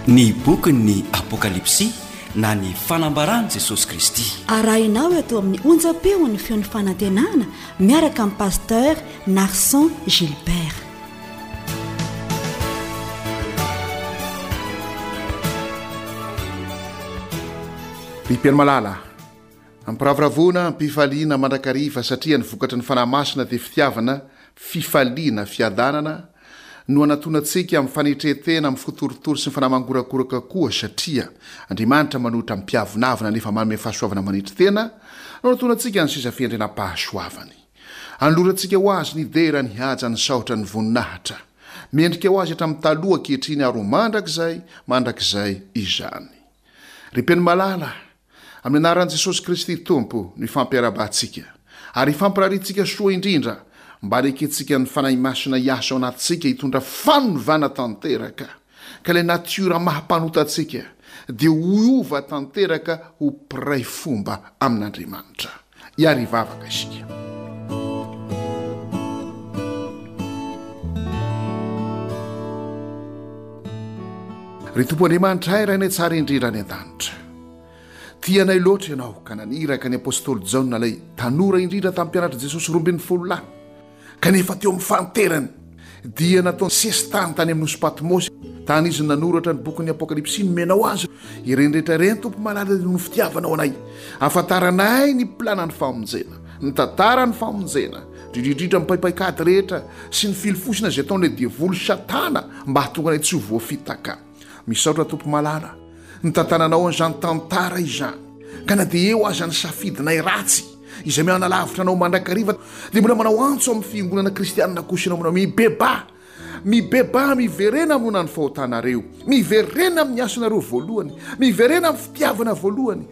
Ny bokin'ny Apokalypsy na ny fanambaran'i Jesosy Kristy. Arahinao eto amin'ny onjam-peon'ny feon'ny fanantenana miaraka amin'i Pasteur Narson Gilbert. Ry mpihaino malala, ampiravoravoana, ampifaliana mandrakariva satria ny vokatry ny Fanahy Masina dia fitiavana, fifaliana, fiadanana, no anatonantsika amin'ny fanetren-tena, amin'ny fo torotoro sy ny fanahy mangorakoraka koa satria Andriamanitra manohitra ny mpiavonavona nefa manome fahasoavana manetry tena, no anatonantsika ny seza fihendrenam-pahasoavany. Anolorantsika ho Azy ny dera, ny haja, ny saotra, ny voninahitra. Mendrika ho Azy hatramin'ny taloha, ankehitriny ary ho mandrakizay, mandrakizay izany. Ry mpino malala, Amin'ny anaran'i Jesosy Kristy Tompo no ifampiarahabantsika, ary ifampirariantsika soa indrindra mba hanekentsika ny Fanahy Masina hiasa ao anatintsika hitondra fanovana tanteraka, ka ilay natiora maha mpanota antsika dia hiova tanteraka ho mpiray fomba amin'Andriamanitra. Hiary hivavaka isika. Ry Tompo Andriamanitray, Rainay tsara indrindra any an-danitra. Tia anay loatra Ianao ka naniraka ny apostoly Jaona ilay tanora indrindra tamin'ny mpianatr'i Jesosy 12 lahy. Kanefa teo amin'ny fahanterany dia nataony sesitany tany amin'ny nosy Patmosy, tany izy no nanoratra ny bokin'ny Apokalypsy nomenao azy. Ireny rehetra ireny, Tompo malala, dia noho ny fitiavanao anay. Ahafantaranay ny planan'ny famonjena, ny tantaran'ny famonjena, indrindra indrindra ny paipaikady rehetra sy ny filofosina izay ataon'ilay devoly Satana mba hahatonga anay tsy ho voafitaka. Misaotra Tompo malala, nitantananao an'izany tantara izany, ka na dia eo aza ny safidinay ratsy, izay mihanalavitra anao mandrakariva, dia mbola manao antso amin'ny fiangonana kristianina kosa ianao manao mibebaha, mibebaha, miverena hamoana ny fahotanareo, miverena amin'ny asanareo voalohany, miverena amin'ny fitiavana voalohany,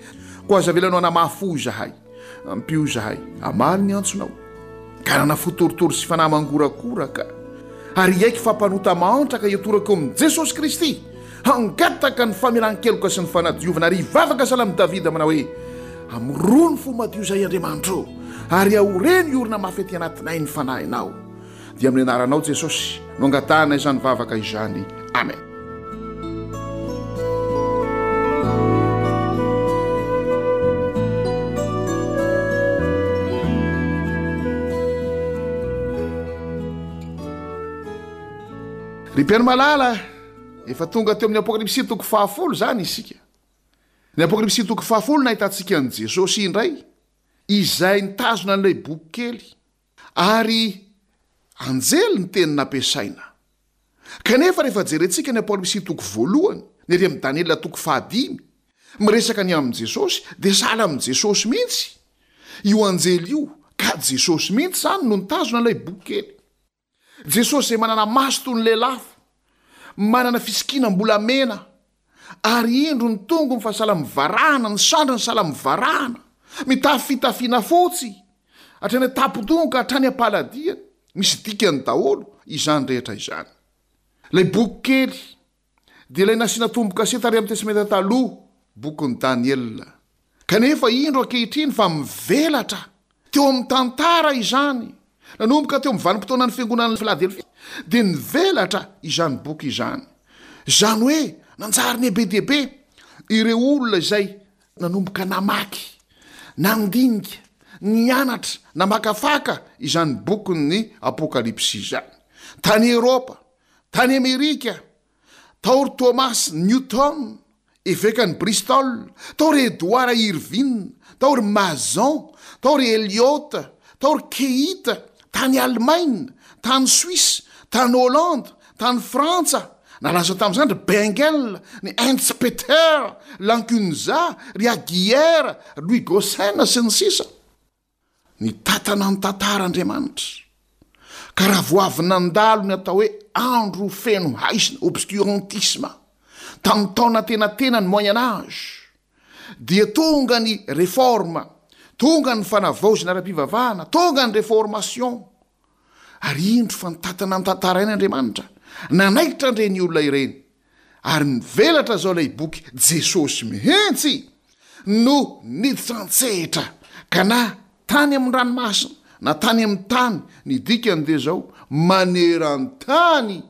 koa aza avelanao hanamafy fo izahay. Ampio izahay hamaly ny antsonao, ka hanana fo torotoro sy fanahy mangorakoraka, ary hiaiky fa mpanota mahantra ka hitoraka eo amin'i Jesosy Kristy, hangataka ny famelan-keloka sy ny fanadiovana, ary hivavaka sahala amin'i Davida manao hoe, Amorony fo madio izahay, Andriamanitro, ary aoreno hiorina mafy aty anatinay ny Fanahinao. Dia amin'ny anaranao Jesosy no angatahana izany vavaka izany. Amen. Ry mpihaino malala, efa tonga teo amin'ny Apokalypsy toko fahafolo izany isika. Ny Apokalypsy toko fahafolo nahitantsika an'i Jesosy indray, izay nitazona an'ilay boky kely. Ary anjely ny teny nampiasaina. Kanefa rehefa jerentsika ny Apokalypsy toko voalohany, ny ery amin'ny Daniela toko fahadimy, miresaka ny amin'i Jesosy, dia sahala amin'i Jesosy mihitsy io anjely io, ka Jesosy mihitsy izany no nitazona ilay boky kely. Jesosy izay manana maso toy ny lelafo, manana fisikinam-bolamena, ary indro ny tongony fa sahala amin'ny varahana, ny sandriny sahala amin'ny varahana, mitafy fitafiana fotsy, hatrany an-tampon-dohany ka hatrany am-paladiany. Misy dikany daholo izany rehetra izany. Ilay boky kely dia ilay nasiana tombo-kase tary amin'ny Testamenta Taloha, bokin'i Daniela. Kanefa indro ankehitriny fa mivelatra teo amin'ny tantara izany. Nanomboka teo amin'ny vanim-potoanan'ny fiangonan'i Filadelfia dia nivelatra izany boky izany. Izany hoe nanjary niha be dia be ireo olona izay nanomboka namaky, nandinika, nianatra, namakafaka izany bokin'ny Apokalypsy izany. Tany Eoropa, Tany Amerika, tao ry Thomas Newton, evekan'i Bristol, tao ry Edward Irving, tao ry Mason, tao ry Eliot, tao ry Keith, tany Alemaina, tany Suisse, tany Hollande, tany Frantsa, nalaza tamin'izany ry Bengel, ny Heinz Peter, Lancunza, ry Aguier, Louis Gossen, sy ny sisa. Nitantana ny tantara Andriamanitra, ka raha vao avy nandalo ny atao hoe andro feno haizina, obscurantisme, tamin'ny taona antenatenany, Moyen Âge, dia tonga ny réforme, tonga ny fanavaozana ara-pivavahana, tonga ny réformation, ary indro fa nitantana ny tantara ihany Andriamanitra, nanaitra an'ireny olona ireny, ary nivelatra izao ilay boky Jesosy mihitsy no niditra an-tsehatra ka na tany amin'ny ranomasina na tany amin'ny tany, ny dikany dia izao, maneran-tany.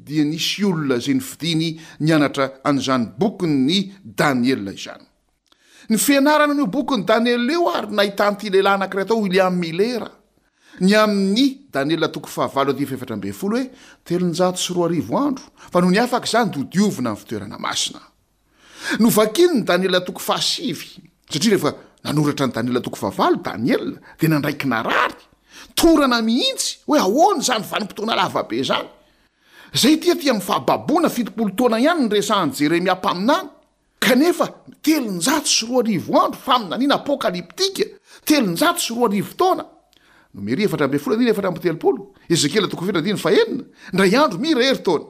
dia nisy olona izay nofidiny nianatra an'izany bokin'i Daniela izany. Ny fianarana an'io bokin'i Daniela io ary nahitan'ity lehilahy anankiray atao William Miller ny amin'ny Daniela toko fahavalo andininy faha-14 hoe 2300 andro fa nony afaka izany dia hodiovina ny fitoerana masina. Novakiny ny Daniela toko fahasivy, satria rehefa nanoratra ny Daniela toko fahavalo Daniela dia nandray kinarary, torana mihitsy hoe ahoana izany vanim-potoana lava be izany. Izay ity aty amin'ny fahababoana 70 taona ihany ny resahan'i Jeremia mpaminany, kanefa 2300 andro, faminaniana apokalyptika, 2300 taona. Nomery 14 andininy 34, Ezekiela toko fahefatra andininy fahenina, indray andro mira herintaona.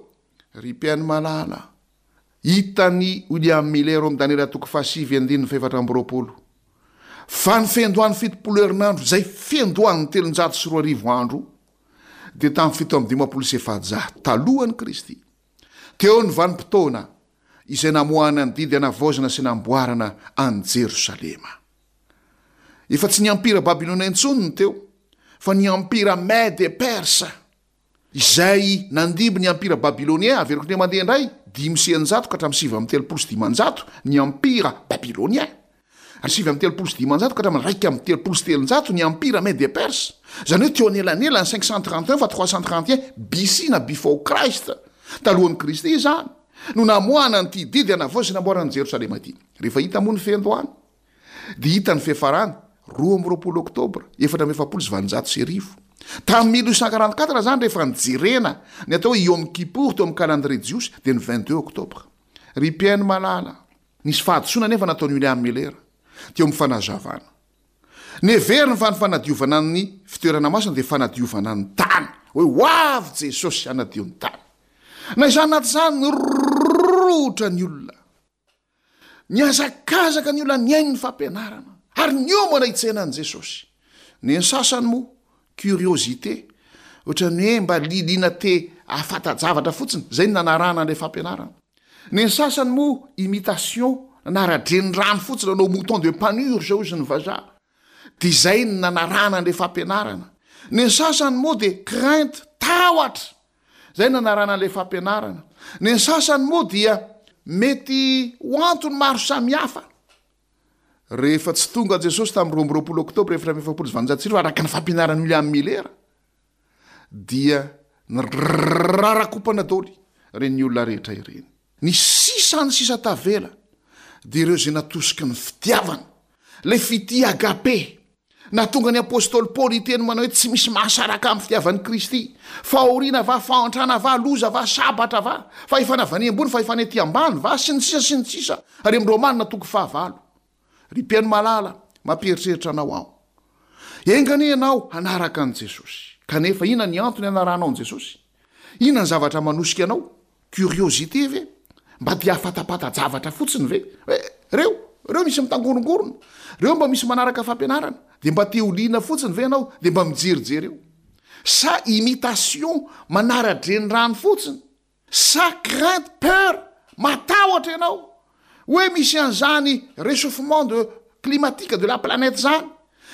Ry mpihaino malala, hitan'i William Miller ao amin'ny Daniela toko fahasivy andininy fahefatra amby roapolo fa ny fiandohan'ny 70 herinandro izay fiandohan'ny 2300 andro dia tamin'ny 457 talohan'i Kristy. Teo ny vanim-potoana izay namoahana ny didy hanavaozana sy namboarana an'i Jerosalema. Efa tsy ny Ampira Babylona intsony ny teo fa ny Ampira Mède et Perse. Izay nandimby ny Ampira Babylonien, averiko indray mandeha indray, 605 ka hatramin'ny 539 ny Ampira Babylonien, ary 539 ka hatramin'ny 331 ny Ampira Mede-Perse, izany hoe teo anelanelan'ny 531 fa 331 BC na Before Christ, talohan'i Kristy izany, no namoahana an'ity didy hanavao sy namboarana an'i Jerosalema ity. Rehefa hita moa ny fiandohany, dia hita ny fiafarany, 22 oktobra 1844. Tamin'ny 1844 izany rehefa nijerena ny atao hoe Yom Kippour teo amin'ny calendrier jiosy dia ny 22 oktobra. Ry mpihaino malala, nisy fahadisoana anefa nataon'i William Miller teo amin'ny fanazavana. Neveriny fa ny fanadiovana ny fitoerana masina dia fanadiovana ny tany, hoe ho avy Jesosy hanadio ny tany. Na izany na tsy izany, nirohotra ny olona. Nihazakazaka ny olona nihaino ny fampianarana ary niomana hitsena an'i Jesosy. Ny an'ny sasany moa, curiosité, ohatran'ny hoe mba lialiana te hahafanta-javatra fotsiny, izay no nanarahana an'ilay fampianarana. Ny an'ny sasany moa, imitation, nanara-drenirano fotsiny, nanao mouton de panurge hozy ny vazaha. Dia izay no nanarahana an'ilay fampianarana. Ny an'ny sasany moa dia crainte, tahotra, Izay nanarahana ilay fampianarana. Ny sasany moa dia mety ho antony maro samihafa. Rehefa tsy tonga Jesosy tamin'ny 22 oktobra 1844 araka ny fampianaran'i William Miller dia nirarakompana daholo ireny olona rehetra ireny. Ny sisa ny sisa tavela dia ireo izay natosiky ny fitiavana, ilay fitia agape. Nahatonga ny apostoly Paoly hiteny manao hoe tsy misy mahasaraka amin'ny fitiavan'i Kristy. Fahoriana va, fahantrana va, loza va, sabatra va, fahefana avy any ambony, fahefana ety ambany va, sy ny sisa sy ny sisa, ary amin'ny Romana toko fahavalo. Ry mpihaino malala, mampieritreritra anao aho. Enga anie ianao hanaraka an'i Jesosy. Kanefa inona ny antony hanarahanao an'i Jesosy? Inona ny zavatra manosika anao? Curiosité ve? Mba te hahafatapata-javatra fotsiny ve? Hoe reo, reo misy mitangorongorona, reo mba misy manaraka fampianarana, dia mba te ho liana fotsiny ve ianao dia mba mijerijery eo? Sa imitation manara-drenirano fotsiny? Sa crainte, peur, matahotra ianao hoe misy an'izany réchauffement de climatique de la planète zany,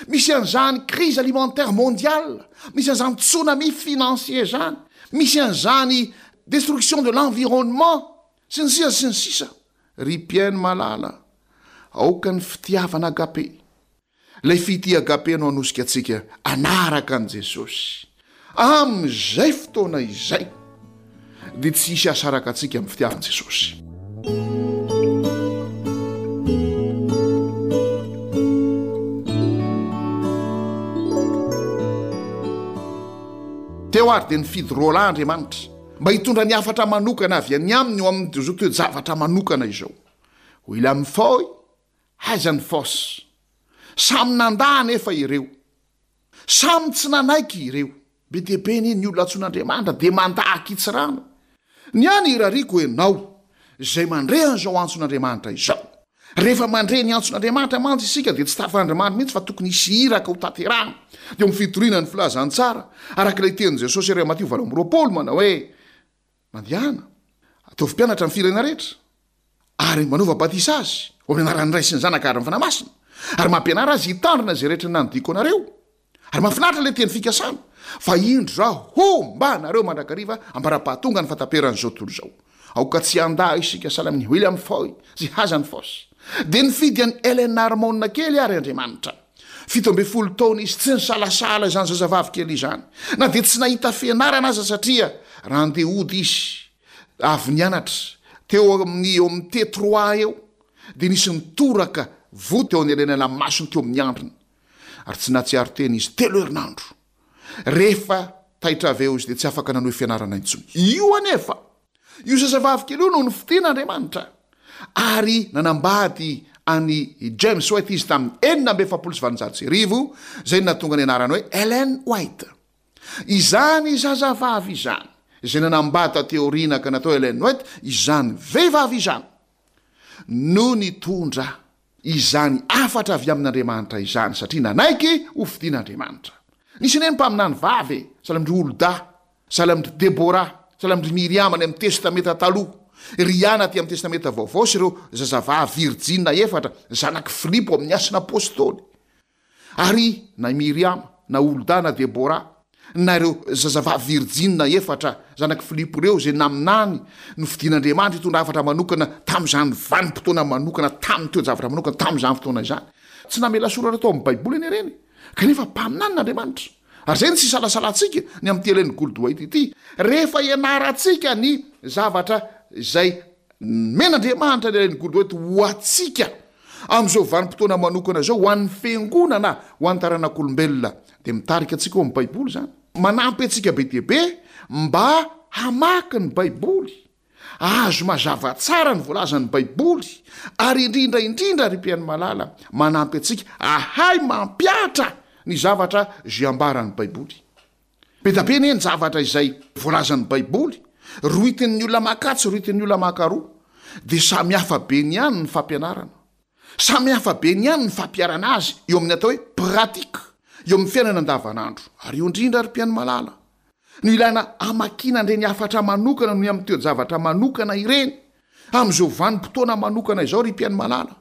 misy an'izany crise alimentaire mondiale, misy an'izany tsunami financier zany, misy an'izany destruction de l'environnement, sy ny sisa sy ny sisa. Ry mpihaino malala, aoka ny fitiavana agape Ilay fitia agape no hanosika antsika hanaraka an'i Jesosy. Amin'izay fotoana izay dia tsy hisy hahasaraka antsika amin'ny fitiavan'i Jesosy. Teo ary dia nifidy roalahy Andriamanitra mba hitondra ny hafatra manokana avy any aminy ho amin'izao toe-javatra manokana izao. William Foy Aiza ny force? Samy nandà anefa ireo. Samy tsy nanaiky ireo. Be dia be anie ny olona antsoin'Andriamanitra dia mandà ankitsirano. Ny ahy ny irariako ianao izay mandre an'izao antson'Andriamanitra izao. Rehefa mandre ny antson'Andriamanitra mantsy isika dia tsy tafandrimandry mihitsy fa tokony hisy iraka ho tanterahina. Dia amin'ny fitoriana ny filazantsara araka ilay tenin'i Jesosy ery Matio 28 manao hoe Mandehana, ataovy mpianatra ny firenena rehetra, ary manaova batisa azy ho amin'ny anaran'ny Ray sy ny Zanaka ary ny Fanahy Masina, ary mampianara azy hitandrina izay rehetra nandidiako anareo. Ary mahafinaritra ilay teny fikasana, fa indro Izaho homba anareo mandrakariva ambara-pahatonga ny fahataperan'izao tontolo izao. Aoka tsy handà isika sahala amin'i William Foy sy Hazen Foss. Dia nifidy an'i Ellen Harmon kely àry Andriamanitra. 17 taona izy, tsy nisalasala izany zazavavy kely izany, na dia tsy nahita fianarana aza satria raha handeha hody izy, avy nianatra, teo amin'ny eo amin'ny T trois eo, dia nisy nitoraka voa teo anelanelan'ny masony teo amin'ny andriny. Ary tsy nahatsiaro tena izy telo herinandro. Rehefa taitra avy eo izy dia tsy afaka nanohy fianarana intsony. Io anefa, io zazavavy kely io no nofidin'Andriamanitra. Ary nanambady an'i James White izy tamin'ny 1846, izay nahatonga ny anarany hoe Ellen White. Izany zazavavy izany, izay nanambady taty aoriana ka natao Ellen White, izany vehivavy izany no nitondra izany hafatra avy amin'Andriamanitra izany satria nanaiky ho fidin'Andriamanitra. Nisy anie ny mpaminany vavy e, sahala amin-dry Holda, sahala amin-dry Debora, sahala amin-dry Miriama any amin'ny Testamenta Taloha, ry Ana aty amin'ny Testamenta Vaovao sy ireo zazavavy virijina efatra zanak'i Filipo amin'ny Asan'ny Apostoly. Ary na i Miriama, na Holda, na Debora, na ireo zazavavy virijina efatra zanak'i Filipo ireo izay naminany nofidin'Andriamanitra hitondra hafatra manokana tamin'izany vanim-potoana manokana, tamin'ny toe-javatra manokana, tamin'izany fotoana izany. Tsy namela soratra tao amin'ny Baiboly anie ireny, kanefa mpaminanin'Andriamanitra. Ary izay no tsy isalasalantsika ny amin'ity Ellen Gould White ity. Rehefa ianarantsika ny zavatra izay nomen'Andriamanitra an'i Ellen Gould White ho antsika, Amin'izao vanim-potoana manokana izao, ho an'ny Fiangonana, ho an'ny taranak'olombelona, dia mitarika antsika ao amin'ny Baiboly izany. Manampy antsika be dia be mba hamaky ny Baiboly, hahazo mazava tsara ny voalazan'ny Baiboly, ary indrindra indrindra, ry mpihaino malala, manampy antsika hahay mampihatra ny zavatra izay ambaran'ny Baiboly. Be dia be anie ny zavatra izay voalazan'ny Baiboly, rohitin'ny olona makatsy, rohitin'ny olona makaroa. Dia samy hafa be ny ihany ny fampianarana. Samy hafa be ny ihany ny fampiharana azy eo amin'ny atao hoe pratique, eo amin'ny fiainana andavanandro. Ary eo indrindra ry mpihaino malala, no ilaina hamakiana an'ireny hafatra manokana noho ny amin'ny toe-javatra manokana ireny. Amin'izao vanim-potoana manokana izao ry mpihaino malala,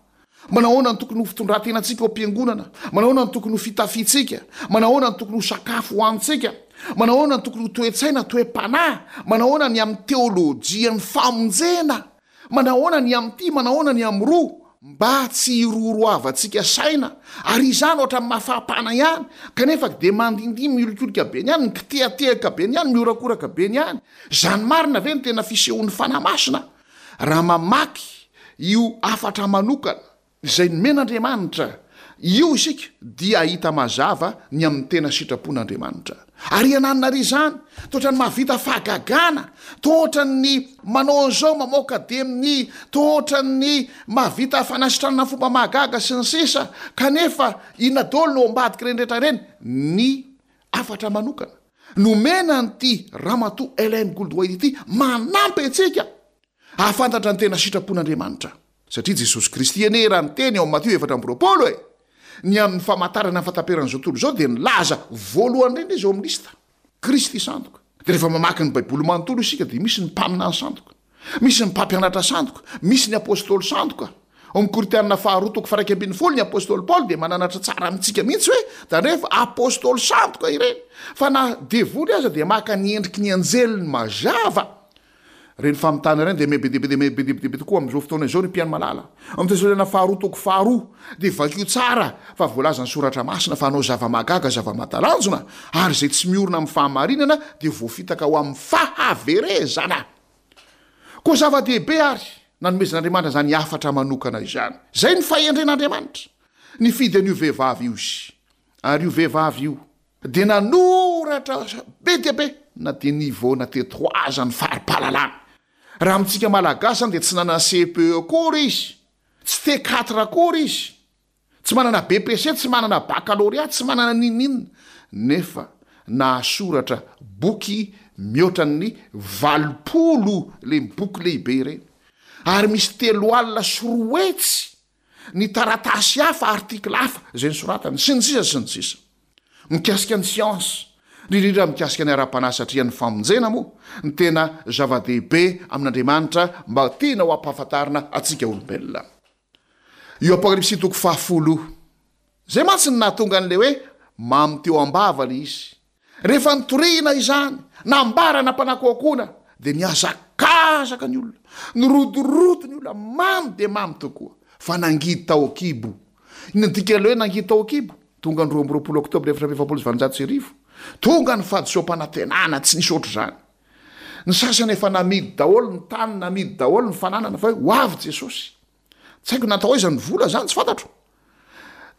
manahoana no tokony ho fitondran-tenantsika ao am-piangonana? Manahoana no tokony ho fitafiantsika? Manahoana no tokony ho sakafo hohanintsika? Manahoana no tokony ho toe-tsaina, toe-panahy? Manahoana ny amin'ny teolojian'ny famonjena? Manahoana ny amin'ity? Manahoana ny amin'roa? Mba tsy hirorohavantsika saina, ary izany ohatran'ny mafampana ihany, kanefa dia mandindia miolikolika be ny any, mikitehatehaka be ny any, mihorakoraka be ny any. Izany marina ve no tena fisehon'ny Fanahy Masina? Raha mamaky io hafatra manokana izay nomen'Andriamanitra io isika dia hahita mazava ny amin'ny tena sitrapon'Andriamanitra. Ary iananona àry izany? Toa ohatran'ny mahavita fahagagana, toa ohatran'ny manao an'izao, mamoaka demony, toa ohatran'ny mahavita fanasitranana fomba mahagaga sy ny sisa, kanefa inona daholo no ao ambadik'ireny rehetra ireny? Ny hafatra manokana nomena an'ity Ramatoa Ellen Gould White ity manampy antsika hahafantatra ny tena sitrapon'Andriamanitra. Satria Jesosy Kristy anie raha niteny ao amin'ny Matio 24 e, ny amin'ny famantarana ny fahataperan'izao tontolo izao dia nilaza voalohany indrindra izy ao amin'ny lista, Kristy sandoka. Dia rehefa mamaky ny Baiboly manontolo isika dia misy ny mpaminany sandoka, misy ny mpampianatra sandoka, misy ny apostoly sandoka. Ao amin'ny Korintianina faharoa toko faha 11 ny apostoly Paoly dia mananatra tsara amintsika mihitsy hoe tandremo fa apostoly sandoka ireny, fa na devoly aza dia maka ny endriky ny anjeliny mazava. Ireny famitana ireny dia miha be dia be dia miha be dia be tokoa amin'izao fotoana izao ry mpihaino malala. Amin'ny Tesaloniana faharoa toko faharoa dia vakio tsara fa voalazan'ny Soratra Masina fa hanao zava-mahagaga zava-mahatalanjona ary izay tsy miorina amin'ny fahamarinana dia voafitaka ho amin'ny fahaverezana. Koa zava-dehibe àry nanomezan'Andriamanitra izany hafatra manokana izany. Izay ny fahendren'Andriamanitra. Nifidy an'io vehivavy io Izy. Ary io vehivavy io dia nanoratra be dia be na dia niveau na T3 aza ny fari-pahalalany. Raha amintsika Malagasy izany dia tsy nanana CPE akory izy, tsy T4 akory izy, tsy manana BPC, tsy manana baccalauréat, tsy manana n'inon'inona, nefa nahasoratra boky mihoatra ny 80 ireny boky lehibe ireny, ary misy 203 ny taratasy hafa, article hafa izay nosoratany, sy ny sisa sy ny sisa. Mikasika ny siansa, indrindra indrindra mikasika ny ara-panahy satria ny famonjena moa no tena zava-dehibe amin'Andriamanitra mba tiana ho ampahafantarina antsika olombelona. Io Apokalypsy toko fahafolo io. Izay mantsy no nahatonga an'ilay hoe Mamy teo am-bava ilay izy. Rehefa nitoriana izany, nambara nampanakoakoana, dia nihazakazaka ny olona, nirodorodo ny olona, mamy dia mamy tokoa, fa nangidy tao an-kibo. Inona ny dikan'ilay hoe nangidy tao an-kibo? Tonga ny 22 oktobra 1844, tonga ny fahadisoam-panantenana tsy nisy ohatr'izany. Ny sasany efa namidy daholo ny tany, namidy daholo ny fananana fa hoe ho avy Jesosy. Tsy haiko natao aiza ny vola zany, tsy fantatro.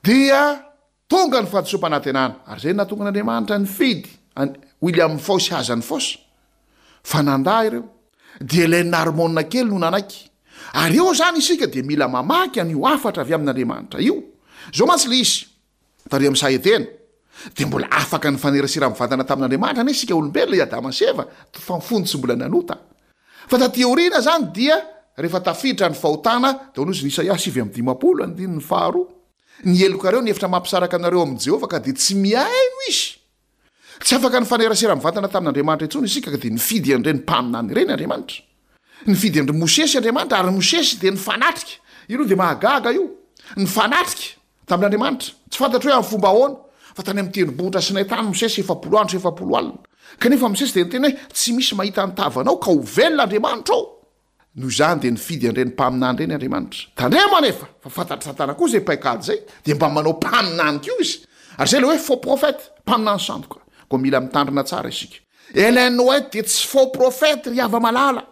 Dia tonga ny fahadisoam-panantenana, ary izay no nahatonga an'Andriamanitra nifidy an'i William Foy sy Hazen Foss, fa nandà ireo. Dia Ellen Harmon kely no nanaiky. Ary eo izany isika dia mila mamaky an'io hafatra avy amin'Andriamanitra io. Izao mantsy ilay izy, tary amin'ny saha Edena, dia mbola afaka nifanerasera mivantana tamin'Andriamanitra anie isika olombelona, i Adama sy Eva, fa fony tsy mbola nanota. Fa taty aoriana izany dia rehefa tafiditra ny fahotana, dia hoy izy ny Isaia 59 andininy faharoa, Ny helokareo ny efitra mampisaraka anareo amin'i Jehovah ka dia tsy mihaino izy. Tsy afaka nifanerasera mivantana tamin'Andriamanitra intsony isika ka dia nifidy an'ireny mpaminany ireny Andriamanitra. Nifidy an-dry Mosesy Andriamanitra ary Mosesy dia nifanatrika. Io aloha dia mahagaga io. Nifanatrika tamin'Andriamanitra. Tsy fantatro hoe amin'ny fomba ahoana fa tany amin'ny tendrombohitra Sinay tany Mosesy 40 andro sy 40 alina. Kanefa Mosesy dia niteny hoe tsy misy mahita ny tavanao ka ho velona Andriamanitra ô. Noho izany dia nifidy an'ireny mpaminany ireny Andriamanitra. Tandremo anefa fa fantatr'i Satana koa izay paikady izay, dia mba manao mpaminany koa izy. Ary izay ilay hoe faux prophète, mpaminany sandoka. Koa mila mitandrina tsara isika. Ellen White dia tsy faux prophète ry hava-malala.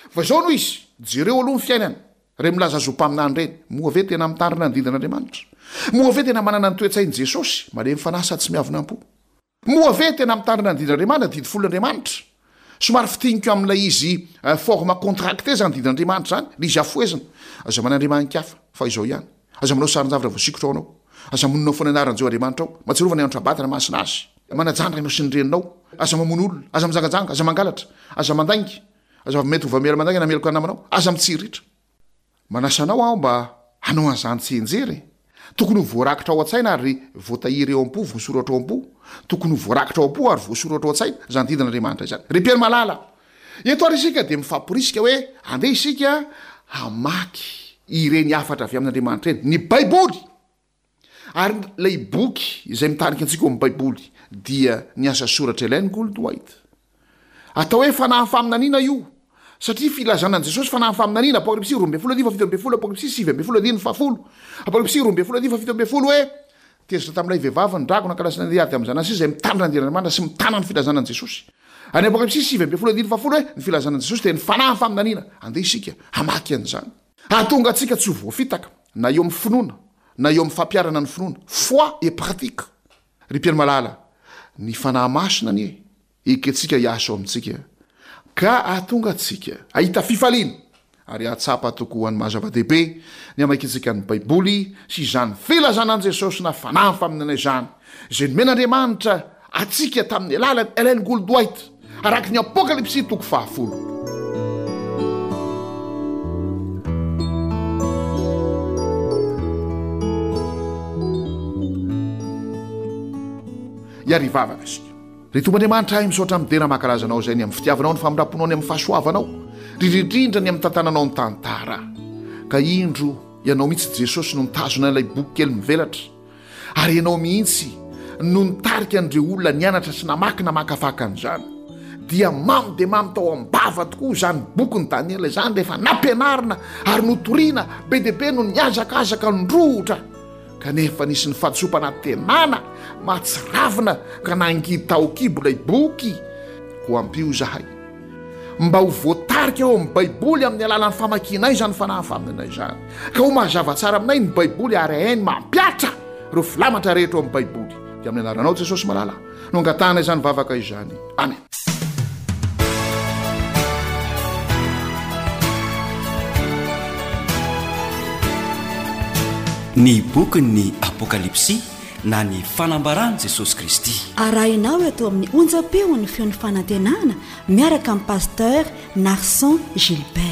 Fa izao no izy, jereo aloha ny fiainany, ireny milaza azy ho mpaminany ireny, moa ve tena mitandrina ny didin'Andriamanitra? Moa ve tena manana ny toe-tsain'i Jesosy, malemy fanahy sady tsy miavona am-po? Moa ve tena mitandrina ny didin'Andriamanitra, didy folon'Andriamanitra? Somary fintiniko amin'ilay izy forme contractée izany didin'Andriamanitra izany, ilay izy afohezina. Aza manandriamanikafa, fa izao ihany. Aza manao sarin-javatra voasikotra ho anao. Aza monina foana anaran'i Jehovah Andriamanitrao. Mahatsiarova ny andro Sabata nahamasina azy. Manajà ny rainao sy ny reninao. Aza mamono olona. Aza mijangajanga. Aza mangalatra. Aza mandainga. Aza mety ho vamiera mandainga na meloka ny namanao. Aza mitsiriritra. Manasa anao aho mba hanao an'izany tsianjery e! Tokony ho voarakitra ao an-tsaina ary voatahiry ao am-po, voasoratra ao am-po. Tokony ho voarakitra ao am-po ary voasoratra ao an-tsaina izany didin'Andriamanitra izany. Ry mpihaino malala, eto ary isika dia mifamporisika hoe andeha isika hamaky ireny hafatra avy amin'Andriamanitra ireny, ny Baiboly! Ary ilay boky izay mitarika antsika ao amin'ny Baiboly dia ny asa soratr'i Ellen Gould White. Atao hoe fanahin'ny faminaniana io, satria filazana an'i Jesosy fanahin'ny faminaniana, Apokalypsy 12 andininy faha-17, Apokalypsy 19 andininy faha-10. Apokalypsy 12 andininy faha-17 hoe, Tezitra tamin'ilay vehivavy ny dragona ka lasa nandeha hiady amin'ny zanany sisa izay mitandrina ny didin'Andriamanitra sy mitana ny filazana an'i Jesosy. Ary ny Apokalypsy 19 andininy faha-10 hoe, Ny filazana an'i Jesosy dia ny fanahin'ny faminaniana. Andeha isika hamaky an'izany. Hahatonga antsika tsy ho voafitaka, na eo amin'ny finoana, na eo amin'ny fampiharana ny finoana, foi et pratique. Ry mpihaino malala, ny Fanahy Masina anie ekentsika hiasa ao amintsika ka hahatonga antsika hahita fifaliana ary hahatsapa tokoa ny maha-zava-dehibe ny hamakiantsika ny Baiboly sy izany filazana an'i Jesosy na Fanahy faminaniana izany izay nomen'Andriamanitra antsika tamin'ny alalan'i Ellen Gould White araka ny Apokalypsy toko fahafolo. Hiary hivavaka isika. Ry Tompo Andriamanitra ahy, misaotra midera mankalaza Anao izay ny amin'ny fitiavanao, ny famindram-ponao, ny amin'ny fahasoavanao, indrindrindra ny amin'ny tantananao ny tantara. Ka indro Ianao mihitsy Jesosy no nitazona ilay boky kely mivelatra. Ary ianao mihitsy no nitarika an'ireo olona nianatra sy namaky namakafaka an'izany. Dia mamy dia mamy tao am-bava tokoa izany bokin'i Daniela izany rehefa nampianarina ary notorina, be dia be no nihazakazaka nindrohotra. Kanefa nisy ny fahadisoam-panantenana mahatsiravina ka nangidy tao an-kibo ilay boky. Koa ampio izahay mba ho voatarika ao amin'ny Baiboly amin'ny alalan'ny famakianay izany fanahy faminana izany, ka ho mazava tsara aminay ny Baiboly ary hainy mampihatra ireo filamatra rehetra ao amin'ny Baiboly. Dia amin'ny anaranao Jesosy malala no angatahana izany vavaka izany. Amen. Ny bokin'ny Apokalypsy na ny fanambaran'i Jesosy Kristy. Arahinao eto amin'ny onjam-peon'ny feon'ny fanantenana miaraka amin'i Pasteur Narson Gilbert.